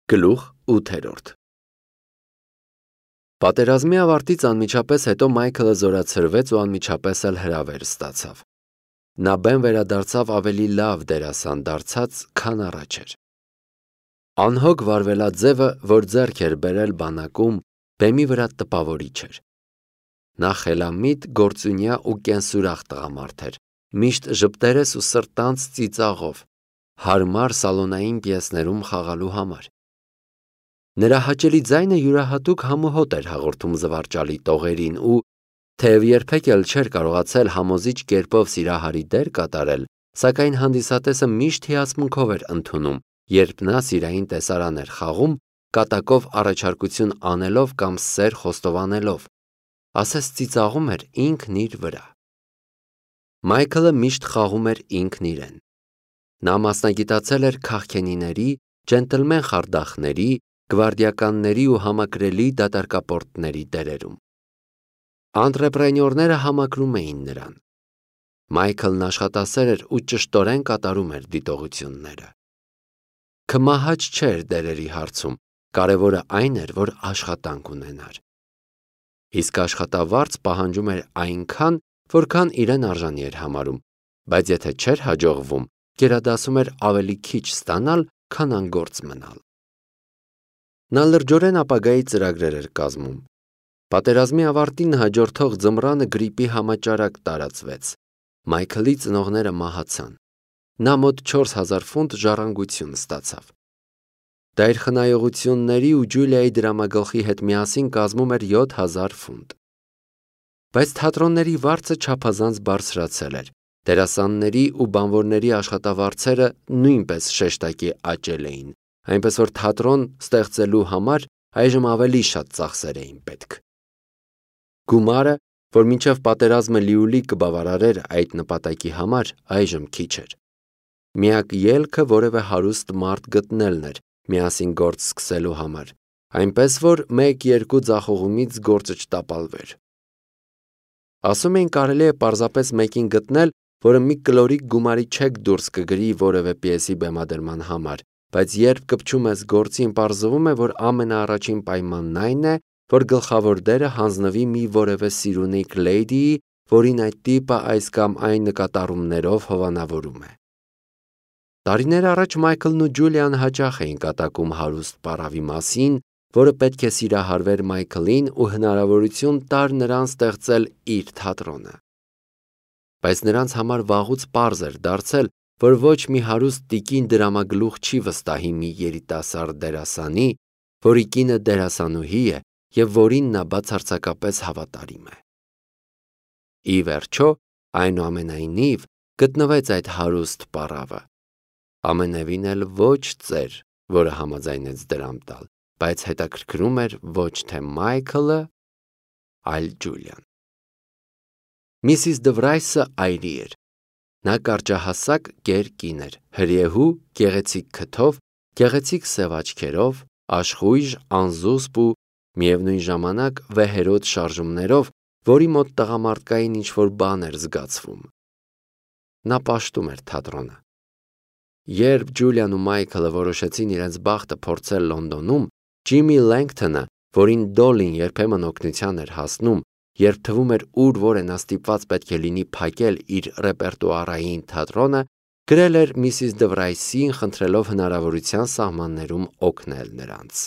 Գլուխ 8 Պատերազմի ավարտից անմիջապես հետո Մայքլը զորացրվեց ու անմիջապես էլ հրավեր ստացավ։ Նա բեմ վերադարձավ ավելի լավ դերասան դարձած, քան առաջ էր։ Անհոգ վարվելաձևը, որ ձեռք էր բերել բանակում, բեմի վրա տպավորիչ էր։ Նա խելամիտ, գործունյա ու կենսուրախ տղամարդ էր, միշտ ժպտերես ու սրտանց ծիծաղով, հարմար սալոնային պիեսներում խաղալու համար։ Նրա հաճելի ձայնը յուրահատուկ համոհոտ էր հաղորդում զվարճալի տողերին ու, թեև երբեք էլ չէր կարողացել համոզիչ կերպով սիրահարի դեր կատարել, սակայն հանդիսատեսը միշտ հիացմունքով էր ընդունում, երբ նա սիրային տեսարան էր խաղում, կատակով առաջարկություն անելով կամ սեր խոստովանելով, ասես ծիծաղում էր ինքն իր վրա։ Մայքլը միշտ խաղում էր ինքն իրեն։ Նա մասնագիտացել էր քաղքենիների, ջենտլմեն խարդախների, գվարդիականների ու համակրելի դատարկապորտների դերերում։ Անտրեպրենյորները համակրում էին նրան։ Մայքլն աշխատասեր էր ու ճշտորեն կատարում էր դիտողությունները։ Քմահաճ չէր դերերի հարցում, կարևորը այն էր, որ աշխատանք ունենար։ Իսկ աշխատավարձ պահանջում էր այնքան, որքան իրեն արժանի էր համարում, բայց եթե չէր հաջողվում, գերադասում էր ավելի քիչ ստանալ, քան անգործ մնալ։ Նա լրջորեն ապագայի ծրագրեր էր կազմում։ Պատերազմի ավարտին հաջորդող ձմռանը գրիպի համաճարակ տարածվեց։ Մայքլի ծնողները մահացան։ Նա մոտ 4000 ֆունտ ժառանգություն ստացավ։ Դա իր խնայողությունների ու Ջուլիայի դրամագլխի հետ միասին կազմում էր 7000 ֆունտ։ Բայց թատրոնների վարձը չափազանց բարձրացել էր։ Դերասանների ու բանվորների աշխատավարձերը նույնպես շեշտակի աճել էին, այնպես որ թատրոն ստեղծելու համար այժմ ավելի շատ ծախսեր էին պետք։ Գումարը, որ մինչև պատերազմը լիուլի կբավարարեր այդ նպատակի համար, այժմ քիչ էր։ Միակ ելքը որևէ հարուստ մարդ գտնելն էր միասին գործ սկսելու համար, այնպես որ 1-2 ձախողումից գործը չտապալվեր։ Ասում էին կարելի է պարզապես մեկին գտնել, որը մի կլորիկ գումարի չեք դուրս կգրի որևէ պիեսի բեմադրման համար, բայց երբ կպչում ես գործին, պարզվում է, որ ամենաառաջին պայմանն այն է, որ գլխավոր դերը հանձնվի մի որևէ սիրունիկ լեյդիի, որին այդ տիպը այս կամ այն նկատառումներով հովանավորում է։ Տարիներ առաջ Մայքլն ու Ջուլիան հաճախ էին կատակում հարուստ պարավի մասին, որը պետք է սիրահարվեր Մայքլին ու հնարավորություն տար նրան ստեղծել իր թատրոնը։ Բայց նրանց համար վաղուց պարզ էր դարձել, որ ոչ մի հարուստ տիկին դրամագլուխ չի վստահի մի երիտասարդ դերասանի, որի կինը դերասանուհի է և որին նա բացարձակապես հավատարիմ է։ Ի վերջո, այնուամենայնիվ, գտնվեց այդ հարուստ պարավը։ Ամենևին էլ ոչ ծեր, որը համաձայնեց դրամ տալ, բայց հետաքրքրում էր ոչ թե Մայքլը, այլ Ջուլիան։ Միսիս Դվրայսը այրի էր։ Նա կարճահասակ կեր կին էր, հրիեհու, գեղեցիկ քթով, գեղեցիկ սև աչքերով, աշխույժ, անզուսպ ու միևնույն ժամանակ վեհերոտ շարժումներով, որի մոտ տղամարդկային ինչ-որ բան էր զգացվում։ Նա պաշտում էր թատրոնը։ Երբ Ջուլիան ու Մայքլը որոշեցին իրենց բախտը փորձել Լոնդոնում, Ջիմի Լենգթոնը, որին Դոլին երբեմն օգնության էր հասնում, երբ թվում էր ուր որ է նա ստիպված պետք է լինի փակել իր ռեպերտուարային թատրոնը, գրել էր Միսիս Դվրայսին, խնդրելով հնարավորության սահմաններում օգնել նրանց։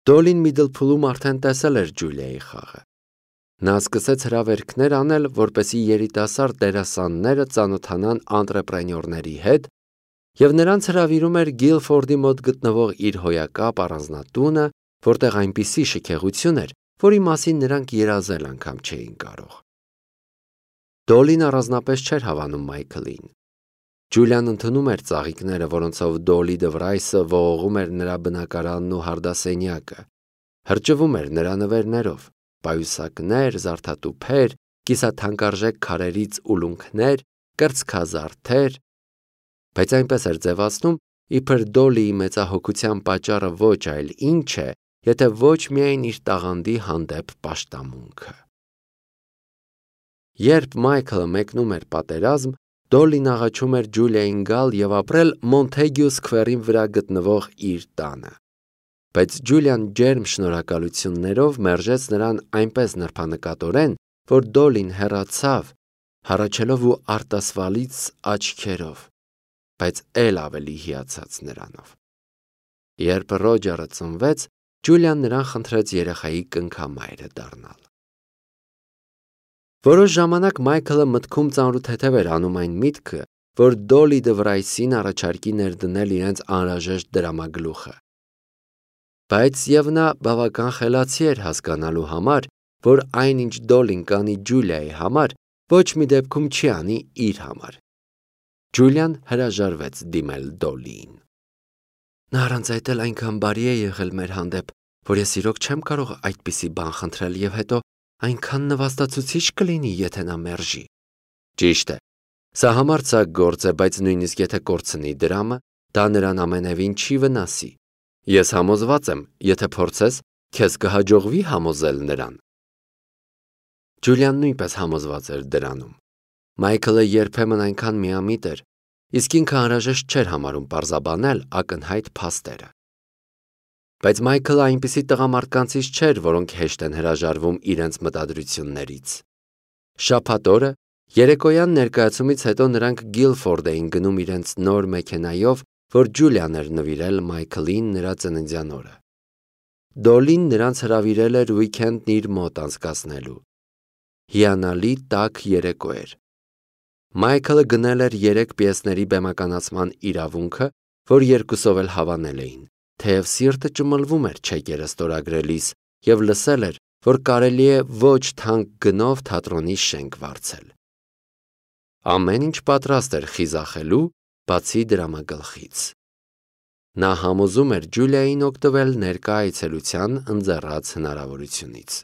Դոլին Միդլփուլում արդեն տեսել էր Ջուլիայի խաղը։ Նա սկսեց հրավերքներ անել, որպեսզի երիտասարդ դերասանները ծանոթանան անտրեպրենյորների հետ, և նրանց հրավիրում էր Գիլֆորդի մոտ գտնվող իր հոյակապ առանձնատունը, որտեղ այնպիսի շքեղություն էր, որի մասին նրանք երազել անգամ չէին կարող։ Դոլին առանձնապես չէր հավանում Մայքլին։ Ջուլիան ընդունում էր ծաղիկները, որոնցով Դոլի Դվրայսը ողողում էր նրա բնակարանն ու հարդասենյակը, հրճվում էր նրա նվերներով, պայուսակներ, զարդատուփեր, կիսաթանկարժեք քարերից ուլունքներ, կրծքազարդեր, բայց այնպես էր ձևացնում, իբր Դոլիի մեծահոգության պատճառը ոչ այլ ինչ է, եթե ոչ միայն իր տաղանդի հանդեպ պաշտամունքը։ Երբ Մայքլը մեկնում էր պատերազմ, Դոլին աղաչում էր Ջուլիային գալ եւ ապրել Մոնթեգյու սքվերին վրա գտնվող իր տանը։ Բայց Ջուլիան ջերմ շնորհակալություններով մերժեց նրան այնպես նրբանկատորեն, որ Դոլին հեռացավ, հառաչելով ու արտասվալից աչքերով, բայց էլ ավելի հիացած նրանով։ Երբ Ռոջերը ծնվեց, Ջուլիան նրան խնդրեց երեխայի կնքամայրը դառնալ։ Որոշ ժամանակ Մայքլը մտքում ծանրութեթև էր անում այն միտքը, որ Դոլի Դվրայսին առաջարկի ներդնել իրենց անհրաժեշտ դրամագլուխը։ Բայց եւ նա բավական խելացի էր հասկանալու համար, որ այնինչ Դոլին կանի Ջուլիայի համար, ոչ մի դեպքում չի անի իր համար։ Ջուլիան հրաժարվեց դիմել Դոլիին։ Նա առանց այդ էլ այնքան բարի է եղել մեր հանդեպ, որ ես իրոք չեմ կարող այդպիսի բան խնդրել եւ հետո այնքան նվաստացուցիչ կլինի, եթե նա մերժի։ Ճիշտ է, սա համարձակ գործ է, բայց նույնիսկ եթե կորցնի դրամը, դա նրան ամենևին չի վնասի։ Ես համոզված եմ, եթե փորձես, քեզ կհաջողվի համոզել նրան։ Ջուլիան նույնպես համոզված էր դրանում։ Մայքլը երբեմն այնքան միամիտ էր, իսկ ինքը անհրաժեշտ չէր համարում պարզաբանել ակնհայտ փաստերը։ Բայց Մայքլը այնպիսի տղամարդկանցից չէր, որոնք հեշտ են հրաժարվում իրենց մտադրություններից։ Շաբաթ օրը երեկոյան ներկայացումից հետո նրանք Գիլֆորդ էին գնում իրենց նոր մեքենայով, որ Ջուլիան էր նվիրել Մայքլին նրա ծննդյան օրը։ Դոլին նրանց հրավիրել էր ուիկենդն իր մոտ անցկացնելու։ Հիանալի տաք երեկո էր։ Մայքլը գնել էր 3 պիեսների բեմականացման իրավունքը, որ երկուսով էլ հավանել էին, թեև սիրտը ճմլվում էր չեկերը ստորագրելիս եւ լսել էր, որ կարելի է ոչ թանկ գնով թատրոնի շենք վարձել։ Ամեն ինչ պատրաստ էր խիզախելու, բացի դրամագլխից։ Նա համոզում էր Ջուլիային օգտվել ներկա այցելության ընձեռած հնարավորությունից։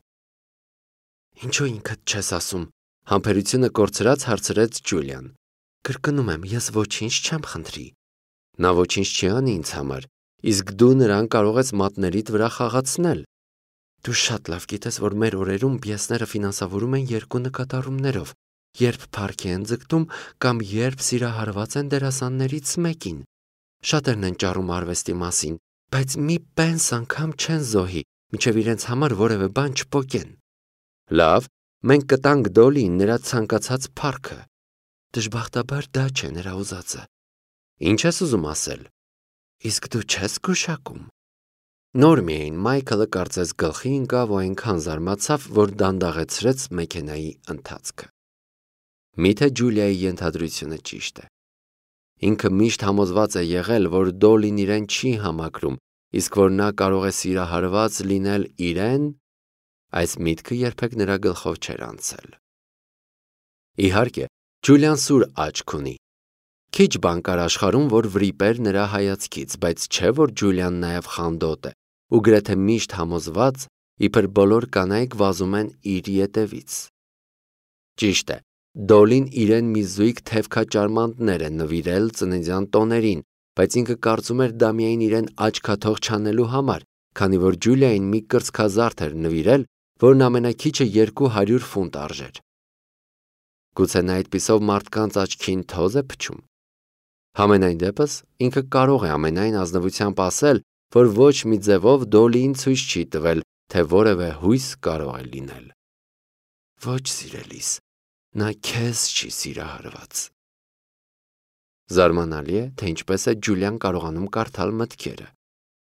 Ինչո՞ւ ինքդ չես ասում, համբերությունը կորցրած հարցրեց Ջուլիան։ Կրկնում եմ, ես ոչինչ չեմ խնդրի։ Նա ոչինչ չի անի ինձ համար, իսկ դու նրան կարող ես մատներիդ վրա խաղացնել։ Դու շատ լավ գիտես, որ մեր օրերում պիեսները ֆինանսավորում են 2 նկատառումներով, երբ փառքի են ձգտում կամ երբ սիրահարված են դերասաններից մեկին։ Շատերն են ճառում արվեստի մասին, բայց մի պենս անգամ չեն զոհի, մինչև իրենց համար որևէ բան չփոկեն։ Լավ, մենք կտանք Դոլիին նրա ցանկացած փառքը։ Դժբախտաբար դա չէ նրա ուզածը։ Ինչ ես ուզում ասել։ Իսկ դու չես գուշակում։ Նոր միայն Մայքլը կարծես գլխի ընկավ ու այնքան զարմացավ, որ դանդաղեցրեց մեքենայի ընթացքը։ Միթե Ջուլիայի ենթադրությունը ճիշտ է։ Ինքը միշտ համոզված է եղել, որ Դոլին իրեն չի համակրում, իսկ որ նա կարող է սիրահարված լինել իրեն, այս միտքը երբեք նրա գլխով չէր անցել։ Իհարկե, Ջուլիան սուր աչք ունի։ Քիչ բան կար աշխարհում, որ վրիպեր նրա հայացքից, բայց չէ, որ Ջուլիան նաև խանդոտ է ու գրեթե միշտ համոզված, իբր բոլոր կանայք վազում են իր ետևից։ Ճիշտ է, Դոլին իրեն մի զույգ թևքաճարմանտներ է նվիրել ծննդյան տոներին, բայց ինքը կարծում էր դա միայն իրեն աչքաթող չանելու համար, քանի որ Ջուլիային մի կրծքազարդ էր նվիրել, որն ամենաքիչը 200 ֆունտ արժեր։ Գուցե նա այդպիսով մարդկանց աչքին թոզ է փչում։ Համենայն դեպս ինքը կարող է ամենայն ազնվությամբ ասել, որ ոչ մի ձևով Դոլիին ցույց չի տվել, թե որևէ հույս կարող է լինել։ Ոչ սիրելիս, նա քեզ չի սիրահարված։ Զարմանալի է, թե ինչպես է Ջուլիան կարողանում կարդալ մտքերը։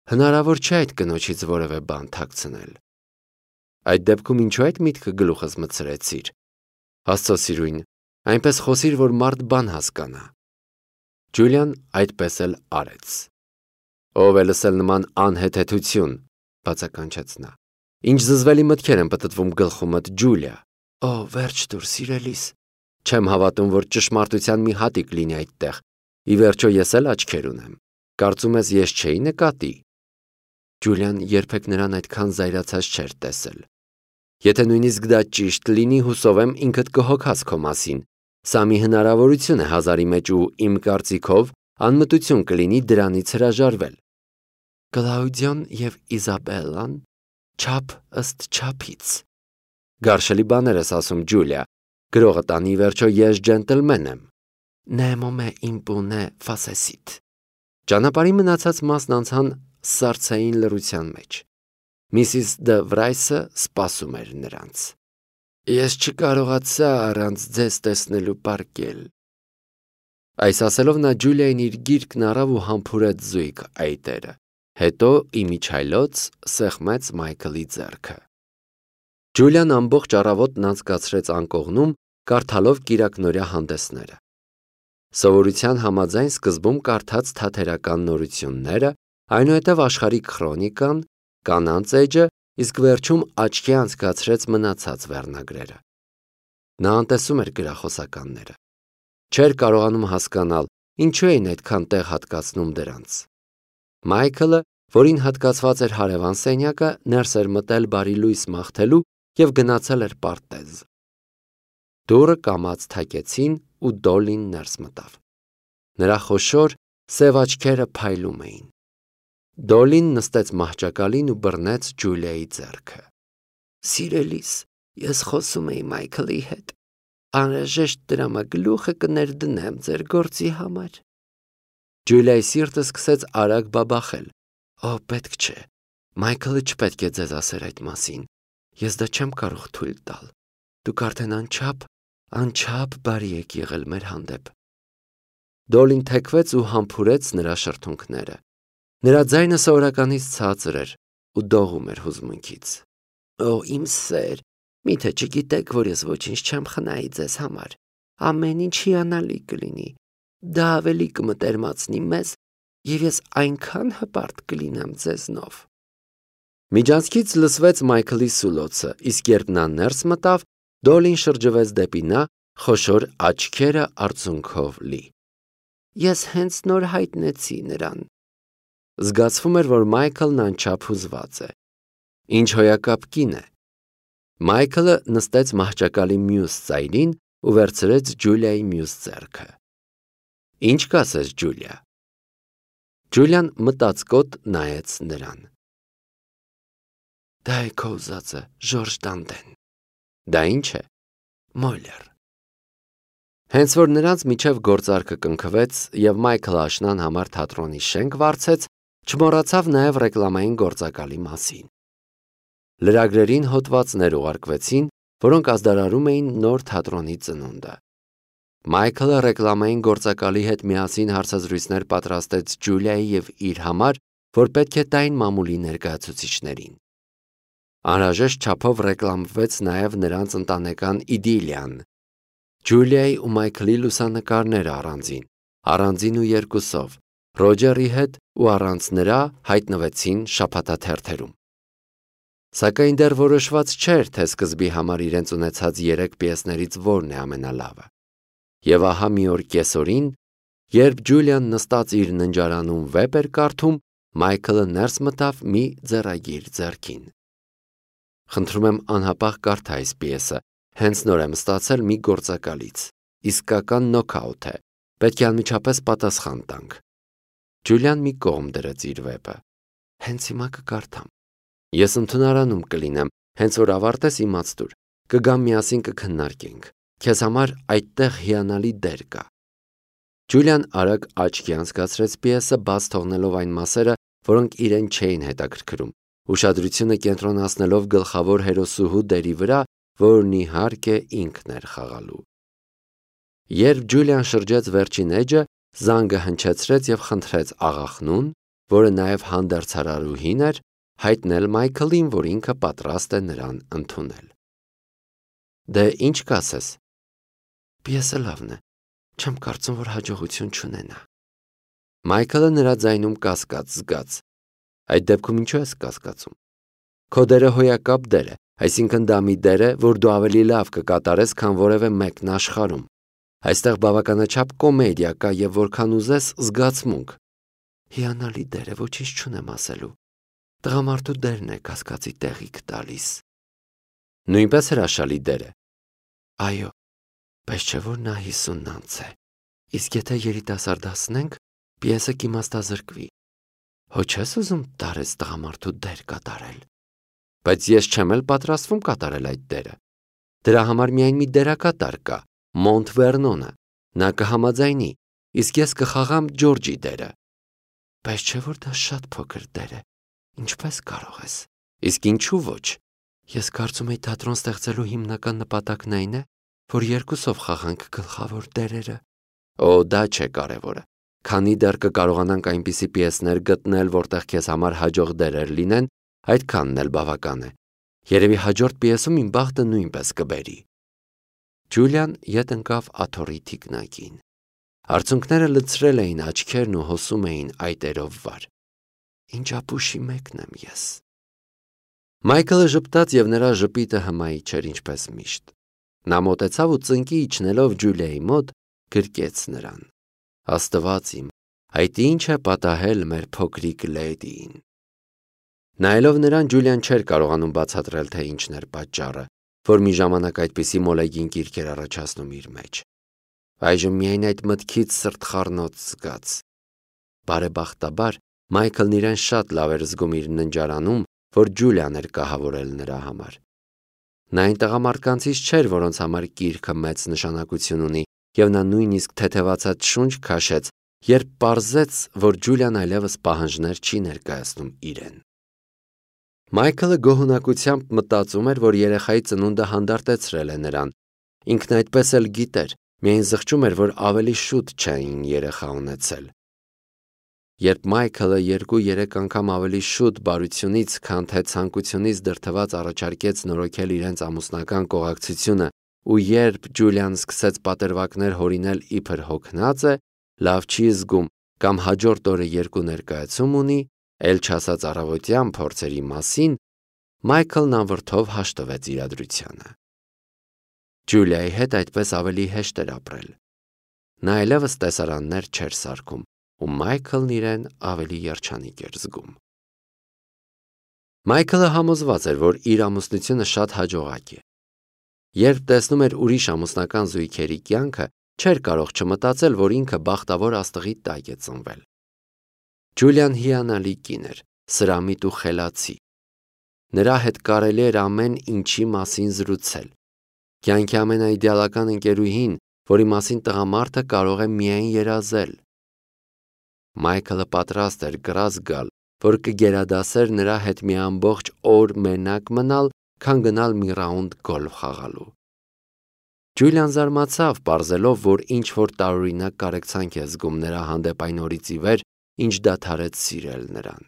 Հնարավոր չէ այդ կնոջից որևէ բան թաքցնել։ Այդ դեպքում ինչու այդ միտքը գլուխս մտցրեցիր։ Աստծո սիրուն, այնպես խոսիր, որ մարդ բան հասկանա։ Ջուլիան այդպես էլ արեց։ Ով է լսել նման անհեթեթություն, բացականչեց նա։ Ինչ զզվելի մտքեր են պտտվում գլխումդ, Ջուլիա։ Օ, վերջ տուր, սիրելիս։ Չեմ հավատում, որ ճշմարտության մի հատիկ լինի այդտեղ։ Ի վերջո ես էլ աչքեր ունեմ։ Կարծում ես ես չէի նկատի։ Ջուլիան երբեք նրան այդքան զայրացած չէր տեսել։ Եթե նույնիսկ դա ճիշտ լինի, հուսով եմ ինքդ կհոգաս քո մասին։ Սա մի հնարավորություն է հազարի մեջ ու իմ կարծիքով անմտություն կլինի դրանից հրաժարվել։ Կլաուդիոն եւ Իզաբելլան չափ ըստ չափից։ Գարշելի բաներ ես ասում, Ջուլիա։ Գրողը տանի վերջո ես ջենտլմեն եմ։ Nemo me impune facesit։ Ճանապարհի մնացած մասն անցան սառցային լռության մեջ։ Միսիս Դը Վրայսը սպասում էր նրանց։ Ես չկարողացա առանց ձեզ տեսնելու պառկել։ Այս ասելով նա Ջուլիային իր գիրկն առավ ու համբուրեց զույգ այտերը։ Հետո իմիջայլոց սեղմեց Մայքլի ձեռքը։ Ջուլիան ամբողջ առավոտն անցկացրեց անկողնում, կարդալով կիրակնօրյա հանդեսները։ Սովորության համաձայն սկզբում կարդաց թատերական նորությունները, այնուհետև աշխարհիկ քրոնիկան, կանանց էջը, իսկ վերջում աչքի անցկացրեց մնացած վերնագրերը։ Նա անտեսում էր գրախոսականները։ Չէր կարողանում հասկանալ, ինչու էին այդքան տեղ հատկացնում դրանց։ Մայքլը, որին հատկացված էր հարևան սենյակը, ներս էր մտել բարի լույս մաղթելու և գնացել էր պարտեզ։ Դուռը կամաց թակեցին ու Դոլին ներս մտավ։ Նրա խոշոր, սև աչքերը փայլում էին։ Դոլին նստեց մահճակալին ու բռնեց Ջուլիայի ձեռքը։ Սիրելիս, ես խոսում էի Մայքլի հետ։ Անհրաժեշտ դրամագլուխը կներդնեմ ձեր գործի համար։ Ջուլիայի սիրտը սկսեց արագ բաբախել։ Օ, պետք չէ։ Մայքլը չպետք է ձեզ ասեր այդ մասին։ Ես դա չեմ կարող թույլ տալ։ Դուք արդեն անչափ բարի եք եղել մեր հանդեպ։ Դոլին թեքվեց ու համբուրեց նրա շրթունքները։ Նրա ձայնը սովորականից ցածր էր ու դողում էր հուզմունքից։ Օ, իմ սեր, միթե չգիտեք, որ ես ոչինչ չեմ խնայի ձեզ համար։ Ամեն ինչ հիանալի կլինի։ Դա ավելի կմտերմացնի մեզ, և ես այնքան հպարտ կլինեմ ձեզնով։ Միջանցքից լսվեց Մայքլի սուլոցը, իսկ երբ նա ներս մտավ, Դոլին շրջվեց դեպի նա, խոշոր աչքերը արցունքով լի։ Ես հենց նոր հայտնեցի նրան։ Զգացվում էր, որ Մայքլն անչափ հուզված է։ Ինչ հոյակապ կին է։ Մայքլը նստեց մահճակալի մյուս ծայրին ու վերցրեց Ջուլիայի մյուս ձեռքը։ Ինչ կասես, Ջուլիա։ Ջուլիան մտածկոտ նայեց նրան։ Դա է քո ուզածը, Ժորժ Դանտեն։ Դա ինչ է։ Մոլեր։ Հենց որ նրանց միջև գործարքը կնքվեց և Մայքլը աշնան համար թատրոնի շենք վարձեց, չմոռացավ նաև ռեկլամային գործակալի մասին։ Լրագրերին հոդվածներ ուղարկվեցին, որոնք ազդարարում էին նոր թատրոնի ծնունդը։ Մայքլը ռեկլամային գործակալի հետ միասին հարցազրույցներ պատրաստեց Ջուլիայի և իր համար, որ պետք է տային մամուլի ներկայացուցիչներին։ Անհրաժեշտ չափով ռեկլամվեց նաև նրանց ընտանեկան իդիլիան։ Ջուլիայի ու Մայքլի լուսանկարները առանձին ու երկուսով, Ռոջերի հետ ու առանց նրա հայտնվեցին շաբաթաթերթերում։ Սակայն դեռ որոշված չէր, թե սկզբի համար իրենց ունեցած 3 պիեսներից որն է ամենալավը։ Եվ ահա մի օր կեսօրին, երբ Ջուլիան նստած իր ննջարանում վեպ էր կարդում, Մայքլը ներս մտավ մի ձեռագիր ձեռքին։ Խնդրում եմ անհապաղ կարդա այս պիեսը, հենց նոր եմ ստացել մի գործակալից, իսկական նոքաութ է, պետք է անմիջապես պատասխան տանք։ Ջուլիան մի կողմ դրեց իր վեպը։ Հենց հիմա կկարդամ։ Ես ընդունարանում կլինեմ, հենց որ ավարտես իմացտուր, կգամ միասին կքննարկենք, քեզ համար այդտեղ հիանալի դեր կա։ Ջուլիան արագ աչքի անցկացրեց պիեսը, բաց թողնելով այն մասերը, որոնք իրեն չէին հետաքրքրում, ուշադրությունը կենտրոնացնելով գլխավոր հերոսուհու դերի վրա, որն իհարկե ինքն էր խաղալու։ Երբ Ջուլիան շրջեց վերջին էջը, զանգը հնչեցրեց և խնդրեց աղախնուն, որը նաև հանդերձարարուհին էր, հայտնել Մայքլին, որ ինքը պատրաստ է նրան ընդունել։ Դե ինչ կասես։ Պիեսը լավն է, չեմ կարծում, որ հաջողություն չունենա։ Մայքլը նրա ձայնում կասկած զգաց։ Այդ դեպքում ինչու ես կասկածում։ Քո դերը հոյակապ դեր է, այսինքն դա մի դեր է, որ դու ավելի լավ կկատարես, քան որևէ մեկն աշխարհում։ Այստեղ բավականաչափ կոմեդիա կա և որքան ուզես զգացմունք։ Հիանալի դեր է, ոչինչ չունեմ ասելու։ Տղամարդու դերն է կասկածի տեղիք տալիս։ Նույնպես հրաշալի դեր է։ Այո, բայց չէ որ նա 50-անց է։ Իսկ եթե երիտասարդացնենք, պիեսը կիմաստազրկվի։ Հո չես ուզում տարեց տղամարդու դեր կատարել։ Բայց ես չեմ էլ պատրաստվում կատարել այդ դերը։ Դրա համար միայն մի դերակատար կա, Մոնտ Վերնոնը, Նա կհամաձայնի, իսկ ես կխաղամ Ջորջի դերը։ Բայց չէ՞ որ դա շատ փոքր դեր է։ Ինչպես կարող ես։ Իսկ ինչու ոչ։ Ես կարծում եի թատրոն ստեղծելու հիմնական նպատակն այն է, որ երկուսով խաղանք գլխավոր դերերը։ Օ, դա չէ կարևորը։ Քանի դեռ կկարողանանք այնպիսի պիեսներ գտնել, որտեղ քեզ համար հաջող դերեր լինեն, այդքանն էլ բավական է։ Երևի հաջորդ պիեսում իմ բախտը նույնպես կբերի։ Ջուլիան ետ ընկավ աթոռի թիկնակին։ Արցունքները լցրել էին աչքերն ու հոսում էին այտերով վար։ Ինչ ապուշի մեկն եմ ես։ Մայքլը ժպտաց և նրա ժպիտը հմայի չէր ինչպես միշտ։ Նա մոտեցավ ու ծնկի իջնելով Ջուլիայի մոտ գրկեց նրան։ Աստված իմ, այդ ինչ է պատահել մեր փոքրիկ լեդիին։ Նայելով նրան Ջուլիան չէր կարողանում բացատրել, թե ինչն էր պատճառը, որ մի ժամանակ այդպիսի մոլեգին կիրք էր առաջացնում իր մեջ։ Այժմ միայն այդ մտքից սրտխառնոց զգաց։ Բարեբախտաբար Մայքլն իրեն շատ լավ էր զգում իր ննջարանում, որ Ջուլիան էր կահավորել նրա համար։ Նա այն տղամարդկանցից չէր, որոնց համար կիրքը մեծ նշանակություն ունի, և նա նույնիսկ թեթևացած շունչ քաշեց, երբ պարզեց, որ Ջուլիան այլևս պահանջներ չի ներկայացնում իրեն։ Մայքլը գոհունակությամբ մտածում էր, որ երեխայի ծնունդը հանդարտեցրել է նրան։ Ինքն այդպես էլ գիտեր, միայն զղջում էր, որ ավելի շուտ չէին երեխա ունեցել։ Երբ Մայքլը 2-3 անգամ ավելի շուտ բարությունից, քան թե ցանկությունից դրդված առաջարկեց նորոգել իրենց ամուսնական կողակցությունը, ու երբ Ջուլիան սկսեց պատերվակներ հորինել իբր հոգնած է, լավ չի զգում կամ հաջորդ օրը երկու ներկայացում ունի, էլ չասած առավոտյան փորձերի մասին, Մայքլն անվրդով հաշտվեց իրադրությանը։ Ջուլիայի հետ այդպես ավելի հեշտ էր ապրել։ Նա այլևս տեսարաններ չէր սարքում, ու Մայքլն իրեն ավելի երջանիկ էր զգում։ Մայքլը համոզված էր, որ իր ամուսնությունը շատ հաջողակ է։ Երբ տեսնում էր ուրիշ ամուսնական զույգերի կյանքը, չէր կարող չմտածել, որ ինքը բախտավոր աստղի տակ է ծնվել։ Ջուլիան հիանալի կին էր, սրամիտ ու խելացի։ Նրա հետ կարելի էր ամեն ինչի մասին զրուցել։ Կյանքի ամենաիդեալական ընկերուհին, որի մասին տղամարդը կարող է միայն երազել։ Մայքլը պատրաստ էր կռազ գալ, որ կգերադասեր նրա հետ մի ամբողջ օր մենակ մնալ, քան գնալ մի ռաունդ գոլֆ խաղալու։ Ջուլիան զարմացավ, պարզելով, որ ինչ-որ տարօրինակ կարեկցանք է զգում նրա հանդեպ այն օրից ի վեր, ինչ դադարեց սիրել նրան։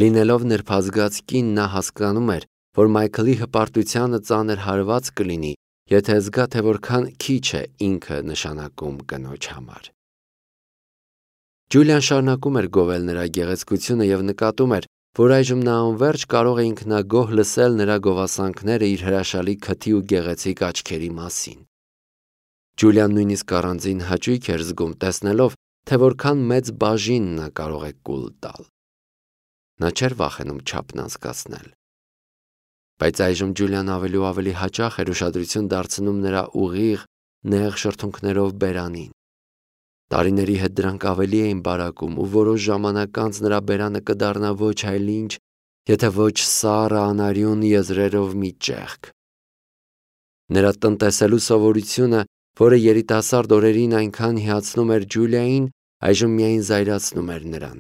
Լինելով նրբազգաց կին, նա հասկանում էր, որ Մայքլի հպարտությանը ծանր հարված կլինի, եթե զգա, թե որքան քիչ է ինքը նշանակում կնոջ համար։ Ջուլիան շարունակում էր գովել նրա գեղեցկությունը և նկատում էր, որ այժմ նա անվերջ կարող է ինքնագոհ լսել նրա գովասանքները իր հրաշալի քթի ու գեղեցիկ աչքերի մասին։ Ջուլիան նույնիսկ առանձին հաճույք էր զգում, տեսնելով, թե որքան մեծ բաժին նա կարող է կուլ տալ։ Նա չէր վախենում չափն անցկացնել։ Բայց այժմ Ջուլիան ավելի ու ավելի հաճախ էր ուշադրություն դարձնում նրա ուղիղ, նեղ շրթունքներով բերանին։ Տարիների հետ դրանք ավելի էին բարակում, ու որոշ ժամանակ անց նրա բերանը կդառնա ոչ այլ ինչ, եթե ոչ սառը անարյուն եզրերով մի ճեղք։ Նրա տնտեսելու սովորությունը, որը երիտասարդ օրերին այնքան հիացնում էր Ջուլիային, այժմ միայն զայրացնում էր նրան։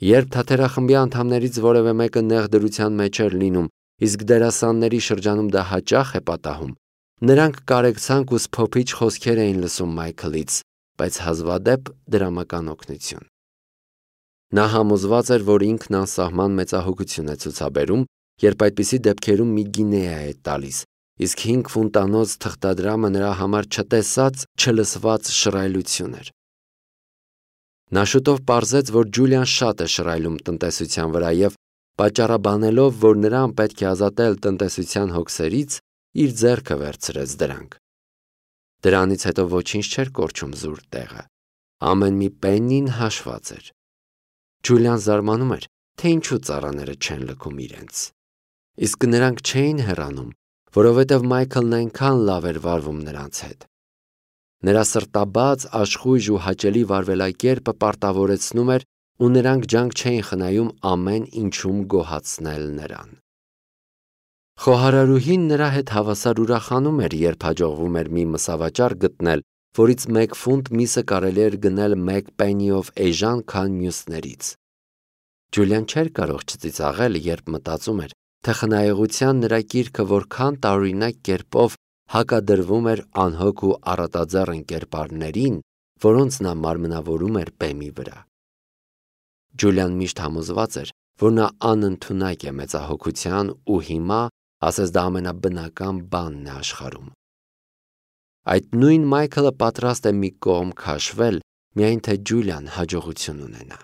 Երբ թատերախմբի անդամներից որևէ մեկը նեղ դրության մեջ էր լինում, իսկ դերասանների շրջանում դա հաճախ է պատահում, նրանք կարեկցանք ու սփոփիչ խոսքեր էին լսում Մայքլից, բայց հազվադեպ դրամական օգնություն։ Նա համոզված էր, որ ինքն անսահման մեծահոգություն է ցուցաբերում, երբ այդպիսի դեպքերում մի գինեա է տալիս, իսկ 5 ֆունտանոց թղթադրամը նրա համար չտեսած, չլսված շռայլություն էր։ Նա շուտով պարզեց, որ Ջուլիան շատ է շռայլում տնտեսության վրա և, պատճառաբանելով, որ նրան պետք է ազատել տնտեսության հոգսերից, իր ձեռքը վերցրեց դրանք։ Դրանից հետո ոչինչ չէր կորչում զուր տեղը։ Ամեն մի պեննին հաշված էր։ Ջուլիան զարմանում էր, թե ինչու ծառաները չեն լքում իրենց։ Իսկ նրանք չէին հեռանում, որովհետև Մայքլն այնքան լավ էր վարվում նրանց հետ։ Նրա սրտաբաց, աշխույժ ու հաճելի վարվելակերպը պարտավորեցնում էր, ու նրանք ջանք չէին խնայում ամեն ինչում գոհացնել նրան։ Խոհարարուհին նրա հետ հավասար ուրախանում էր, երբ հաջողվում էր մի մսավաճառ գտնել, որից 1 ֆունտ միսը կարելի էր գնել 1 պենիով էժան, քան մյուսներից։ Ջուլիան չէր կարող չծիծաղել, երբ մտածում էր, թե խնայողության նրա կիրքը որքան տարօրինակ կերպով հակադրվում էր անհոգ ու առատաձեռն կերպարներին, որոնց նա մարմնավորում էր բեմի վրա։ Ջուլիան միշտ համոզված էր, որ նա անընդունակ է մեծահոգության ու հիմա ասես դա ամենաբնական բանն է աշխարհում։ Այդ նույն Մայքլը պատրաստ է մի կողմ քաշվել, միայն թե Ջուլիան հաջողություն ունենա։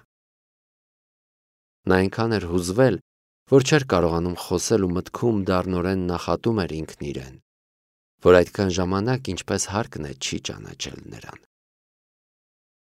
Նա այնքան էր հուզվել, որ չէր կարողանում խոսել ու մտքում դառնորեն նախատում էր ինքն իրեն, որ այդքան ժամանակ ինչպես հարկն է չի ճանաչել նրան։